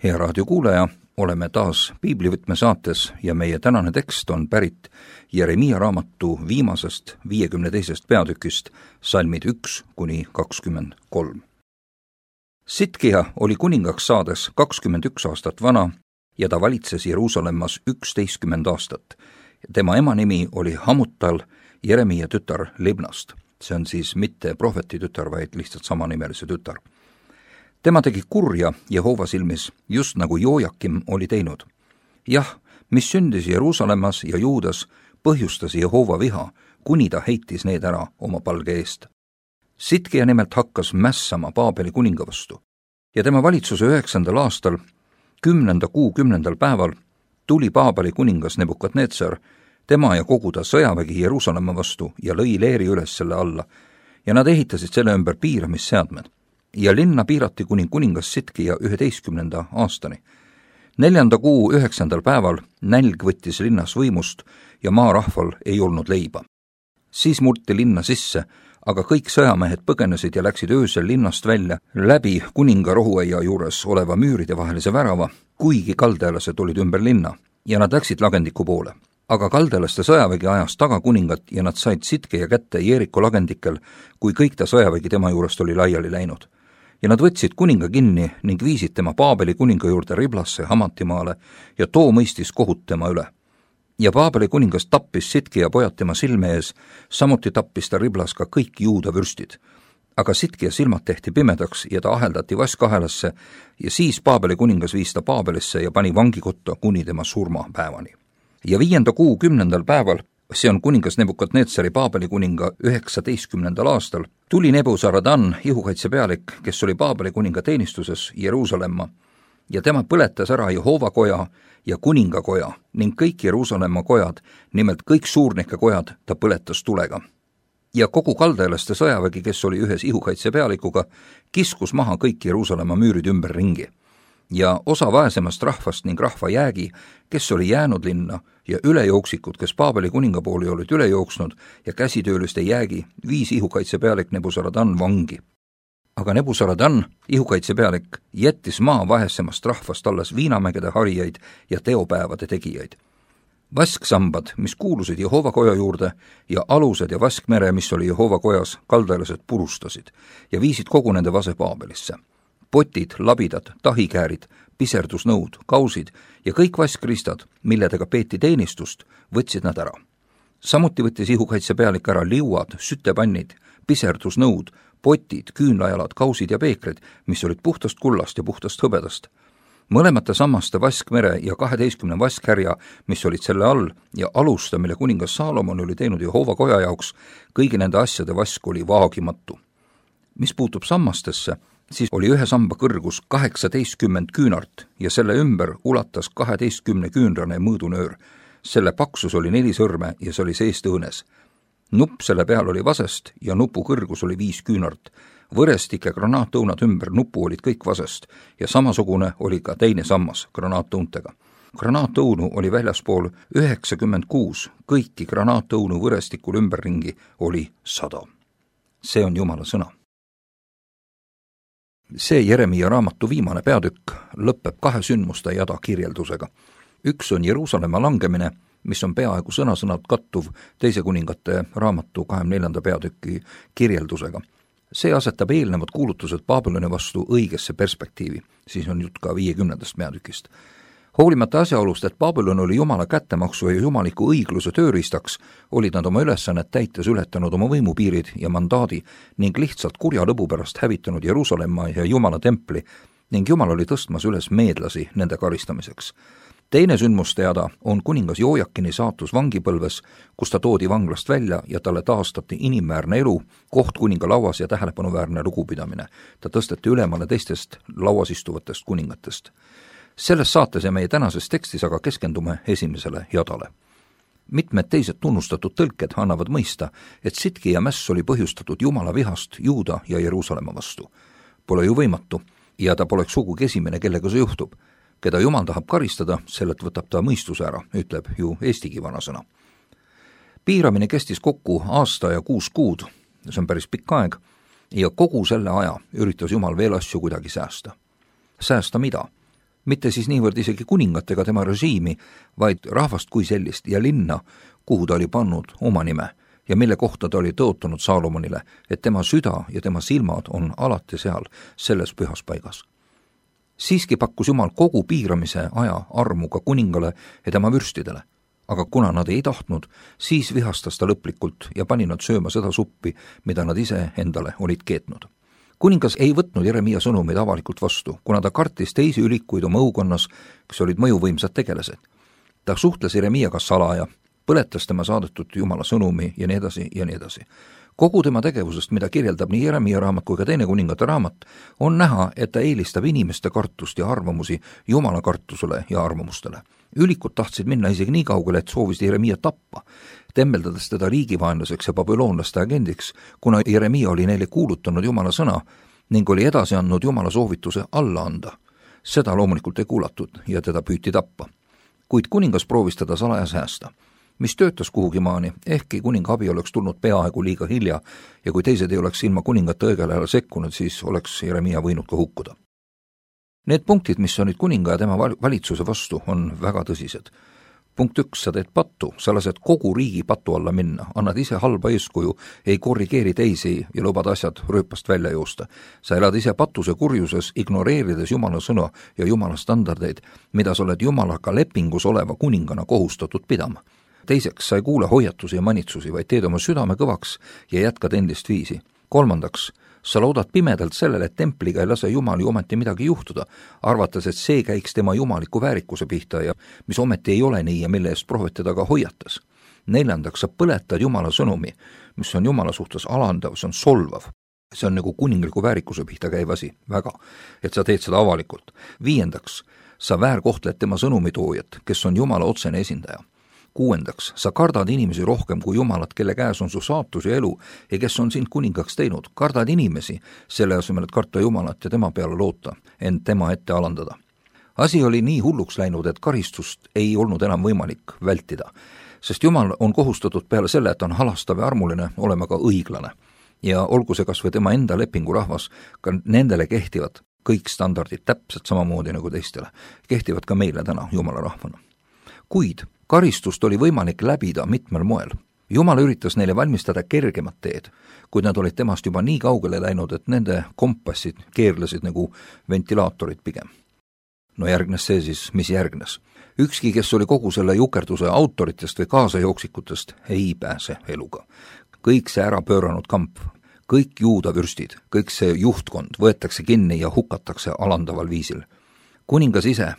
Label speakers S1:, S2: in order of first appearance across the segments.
S1: Hea raadiokuulaja, oleme taas piiblivõtme saates ja meie tänane tekst on pärit Jeremiia raamatu viimasest 52. peatükist, salmid 1-23. Sitkija oli kuningaks saades 21 aastat vana ja ta valitses Jeruusalemmas 11 aastat. Tema ema nimi oli Hamutal, Jeremiia tütar Libnast. See on siis mitte prohveti tütar, vaid lihtsalt samanimelise tütar. Tema tegi kurja Jehova silmis, just nagu Joojakim oli teinud. Jah, mis sündis Jeruusalemmas ja Juudas, põhjustas Jehova viha, kuni ta heitis need ära oma palge eest. Sitkija nimelt hakkas mässama Paabeli kuninga vastu. Ja tema valitsuse 9. aastal, 10. kuu 10. päeval, tuli Paabeli kuningas Nebukadnetsar, tema ja kogu ta sõjavägi Jeruusalemma vastu ja lõi leeri üles selle alla, ja nad ehitasid selle ümber piiramisseadmed. Ja linna piirati kuni kuningas Sitkija 11. aastani. 4. kuu 9. päeval nälg võttis linnas võimust ja maarahval ei olnud leiba. Siis murti linna sisse, aga kõik sõjamehed põgenesid ja läksid öösel linnast välja läbi kuninga rohuaia juures oleva müüride vahelise värava, kuigi kaldealased olid ümber linna ja nad läksid lagendiku poole. Aga kaldealaste sõjavägi ajas taga kuningat ja nad said Sitkija kätte Jeeriko lagendikel, kui kõik ta sõjavägi tema juurest oli laiali läinud. Ja nad võtsid kuninga kinni ning viisid tema Paabeli kuninga juurde Riblasse Hamatimaale ja too mõistis kohut tema üle. Ja Paabeli kuningas tappis Sitkija pojad tema silme ees, samuti tappis ta Riblas ka kõik juuda vürstid. Aga Sitkija silmad tehti pimedaks ja ta aheldati vaskahelasse ja siis Paabeli kuningas viis ta Paabelisse ja pani vangikotta kuni tema surmapäevani. Ja 5. kuu 10. päeval, see on kuningas Nebukadnetsari Paabeli kuninga 19. aastal, tuli Nebuzaradan, ihukaitsepealik, kes oli Paabeli kuninga teenistuses Jeruusalemma, ja tema põletas ära Jehova koja ja kuningakoja ning kõik Jeruusalemma kojad, nimelt kõik suurnike kojad, ta põletas tulega. Ja kogu kaldealaste sõjavägi, kes oli ühes ihukaitsepealikuga, kiskus maha kõik Jeruusalemma müürid ümber ringi. Ja osa vaesemast rahvast ning rahva jäägi, kes oli jäänud linna, ja ülejooksikud, kes Paabeli kuninga pooli olid üle jooksnud, ja käsitööliste jäägi, viis ihukaitsepealik Nebuzaradan vangi. Aga Nebuzaradan, ihukaitsepealik, jättis maa vaesemast rahvast alles viinamägede harijaid ja teopäevade tegijaid. Vasksambad, mis kuulusid Jehova koja juurde, ja alused ja vaskmere, mis oli Jehova kojas, kaldealased purustasid ja viisid kogu nende vase Paabelisse. Potid, labidad, tahikäärid, piserdusnõud, kausid ja kõik vaskristad, milledega peeti teenistust, võtsid nad ära. Samuti võttis ihukaitsepealik ära liuad, sütepannid, piserdusnõud, potid, küünlajalad, kausid ja peekrid, mis olid puhtast kullast ja puhtast hõbedast. Mõlemate sammaste vaskmere ja 12 vaskhärja, mis olid selle all, ja alusta, mille kuningas Saalomon oli teinud Jehova koja jaoks, kõigi nende asjade vask oli vaagimatu. Mis puutub sammastesse, siis oli ühe samba kõrgus 18 küünart ja selle ümber ulatas 12 küünrane mõõdunöör. Selle paksus oli 4 sõrme ja see oli seest õõnes. Nupp selle peal oli vasest ja nupu kõrgus oli 5 küünart. Võrestik ja granaatõunad ümber nupu olid kõik vasest ja samasugune oli ka teine sammas granaatõuntega. Granaatõunu oli väljaspool 96, kõiki granaatõunu võrestikul ümberringi oli 100. See on Jumala sõna. See Jeremiia raamatu viimane peatükk lõpeb 2 sündmuste jada kirjeldusega. Üks on Jeruusalemma langemine, mis on peaaegu sõna-sõnalt kattuv 2 kuningate raamatu 24. peatüki kirjeldusega. See asetab eelnevad kuulutused Babyloni vastu õigesse perspektiivi, siis on jutt ka 50. peatükist. Hoolimata asjaolust, et Babylon oli Jumala kättemaksu ja jumaliku õigluse tööriistaks, olid nad oma ülesannet täites ületanud oma võimupiirid ja mandaadi ning lihtsalt kurja lõbu pärast hävitanud Jeruusalemma ja Jumala templi ning Jumal oli tõstmas üles meedlasi nende karistamiseks. Teine sündmuste jada on kuningas Joojakini saatus vangipõlves, kus ta toodi vanglast välja ja talle taastati inimväärne elu, koht kuninga lauas ja tähelepanuväärne lugupidamine. Ta tõsteti ülemale teistest lauas istuvatest kuningatest. Selles saates ja meie tänases tekstis aga keskendume esimesele jadale. Mitmed teised tunnustatud tõlked annavad mõista, et Sitkija mäss oli põhjustatud Jumala vihast Juuda ja Jeruusalemma vastu. Pole ju võimatu ja ta poleks sugugi esimene, kellega see juhtub. Keda Jumal tahab karistada, sellelt võtab ta mõistuse ära, ütleb ju eestigi vanasõna. Piiramine kestis kokku 1 aasta ja 6 kuud, see on päris pikk aeg, ja kogu selle aja üritas Jumal veel asju kuidagi säästa. Säästa mida? Mitte siis niivõrd isegi kuningat ega tema režiimi, vaid rahvast kui sellist ja linna, kuhu ta oli pannud oma nime ja mille kohta ta oli tõotanud Saalomonile, et tema süda ja tema silmad on alati seal, selles pühas paigas. Siiski pakkus Jumal kogu piiramise aja armu ka kuningale ja tema vürstidele, aga kuna nad ei tahtnud, siis vihastas ta lõplikult ja pani nad sööma seda suppi, mida nad ise endale olid keetnud. Kuningas ei võtnud Jeremia sõnumeid avalikult vastu, kuna ta kartis teisi ülikuid oma õukonnas, kes olid mõjuvõimsad tegelased. Ta suhtles Jeremiaga salaja, põletas tema saadetud Jumala sõnumi ja nii edasi ja nii edasi. Kogu tema tegevusest, mida kirjeldab nii Jeremia raamat kui ka teine kuningate raamat, on näha, et ta eelistab inimeste kartust ja arvamusi Jumala kartusele ja arvamustele. Ülikud tahtsid minna isegi nii kaugele, et soovisid Jeremia tappa, temmeldades teda riigivaenlaseks ja babüloonlaste agendiks, kuna Jeremia oli neile kuulutanud Jumala sõna ning oli edasi andnud Jumala soovituse alla anda. Seda loomulikult ei kuulatud ja teda püüti tappa. Kuid kuningas proovis teda salaja säästa, mis töötas kuhugi maani, ehkki kuninga abi oleks tulnud peaaegu liiga hilja ja kui teised ei oleks ilma kuningate õigel ajal sekkunud, siis oleks Jeremia võinud ka hukkuda. Need punktid, mis olid kuninga ja tema valitsuse vastu, on väga tõsised. Punkt 1, sa teed pattu, sa lased kogu riigi patu alla minna, annad ise halba eeskuju, ei korrigeeri teisi ja lubad asjad rööpast välja joosta. Sa elad ise patuse kurjuses, ignoreerides Jumala sõna ja Jumala standardeid, mida sa oled Jumalaga lepingus oleva kuningana kohustatud pidama. Teiseks, sa ei kuule hoiatusi ja manitsusi, vaid teed oma südame kõvaks ja jätkad endist viisi. Kolmandaks, sa loodad pimedalt sellele, et templiga ei lase Jumal ju ometi midagi juhtuda, arvates, et see käiks tema jumaliku väärikuse pihta ja mis ometi ei ole nii ja mille eest prohvet teda ka hoiatas. Neljandaks, sa põletad Jumala sõnumi, mis on Jumala suhtes alandav, see on solvav. See on nagu kuningliku väärikuse pihta käiv asi, väga, et sa teed seda avalikult. Viiendaks, sa väärkohtled tema sõnumitoojat, kes on Jumala otsene esindaja. Kuuendaks, sa kardad inimesi rohkem kui Jumalat, kelle käes on su saatus ja elu ja kes on sind kuningaks teinud. Kardad inimesi, selle asemel, et karta Jumalat ja tema peale loota, ent tema ette alandada. Asi oli nii hulluks läinud, et karistust ei olnud enam võimalik vältida, sest Jumal on kohustatud peale selle, et on halastav ja armuline, olema ka õiglane. Ja olgu see kas või tema enda lepingurahvas, ka nendele kehtivad kõik standardid täpselt samamoodi nagu teistele. Kehtivad ka meile täna Jumala rahvana. Kuid karistust oli võimalik läbida mitmel moel. Jumal üritas neile valmistada kergemat teed, kuid nad olid temast juba nii kaugele läinud, et nende kompassid keerlesid nagu ventilaatorid pigem. No järgnes see siis, mis järgnes. Ükski, kes oli kogu selle jukerduse autoritest või kaasajooeksikutest, ei pääse eluga. Kõik see ära pööranud kamp, kõik juuda vürstid, kõik see juhtkond võetakse kinni ja hukatakse alandaval viisil. Kuningas ise,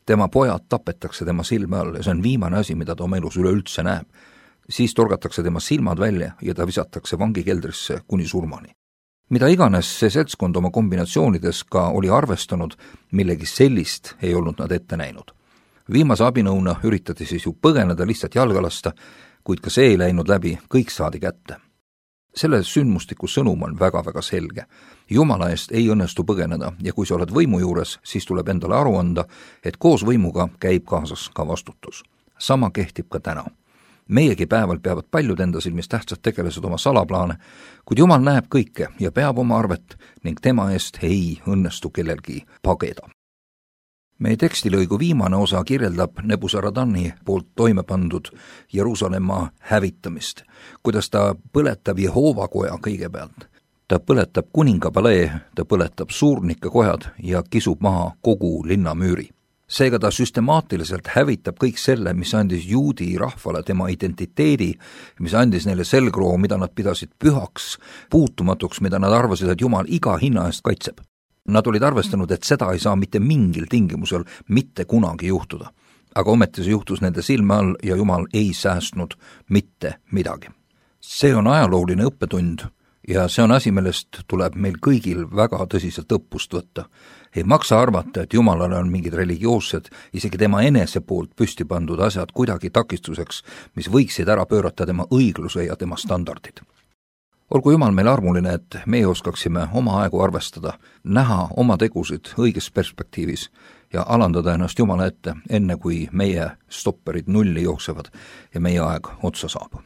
S1: tema pojad tapetakse tema silme all ja see on viimane asi, mida ta oma elus üleüldse näeb. Siis torgatakse tema silmad välja ja ta visatakse vangikeldrisse kuni surmani. Mida iganes see seltskond oma kombinatsioonides ka oli arvestanud, millegi sellist ei olnud nad ette näinud. Viimase abinõuna üritati siis ju põgeneda lihtsalt jalga lasta, kuid ka see ei läinud läbi, kõik saadi kätte. Selle sündmustiku sõnum on väga-väga selge. Jumala eest ei õnnestu põgeneda ja kui sa oled võimu juures, siis tuleb endale aru anda, et koos võimuga käib kaasas ka vastutus. Sama kehtib ka täna. Meiegi päeval peavad paljud enda silmis tähtsad tegelased oma salaplaane, kuid Jumal näeb kõike ja peab oma arvet ning tema eest ei õnnestu kellelgi pageda. Meie tekstilõigu viimane osa kirjeldab Nebuzaradani poolt toime pandud Jeruusalemma hävitamist, kuidas ta põletab Jehova koja kõigepealt. Ta põletab kuningapalee, ta põletab suurnike kojad ja kisub maha kogu linnamüüri. Seega ta süstemaatiliselt hävitab kõik selle, mis andis juudi rahvale tema identiteedi, mis andis neile selgroo, mida nad pidasid pühaks, puutumatuks, mida nad arvasid, et Jumal iga hinna eest kaitseb. Nad olid arvestanud, et seda ei saa mitte mingil tingimusel mitte kunagi juhtuda. Aga ometi see juhtus nende silme all ja Jumal ei säästnud mitte midagi. See on ajalooline õppetund ja see on asi, millest tuleb meil kõigil väga tõsiselt õppust võtta. Ei maksa arvata, et Jumalale on mingid religioossed, isegi tema enese poolt püsti pandud asjad kuidagi takistuseks, mis võiksid ära pöörata tema õigluse ja tema standardid. Olgu Jumal meil armuline, et meie oskaksime oma aegu arvestada, näha oma tegusid õiges perspektiivis ja alandada ennast Jumala ette, enne kui meie stopperid nulli jooksevad ja meie aeg otsa saab.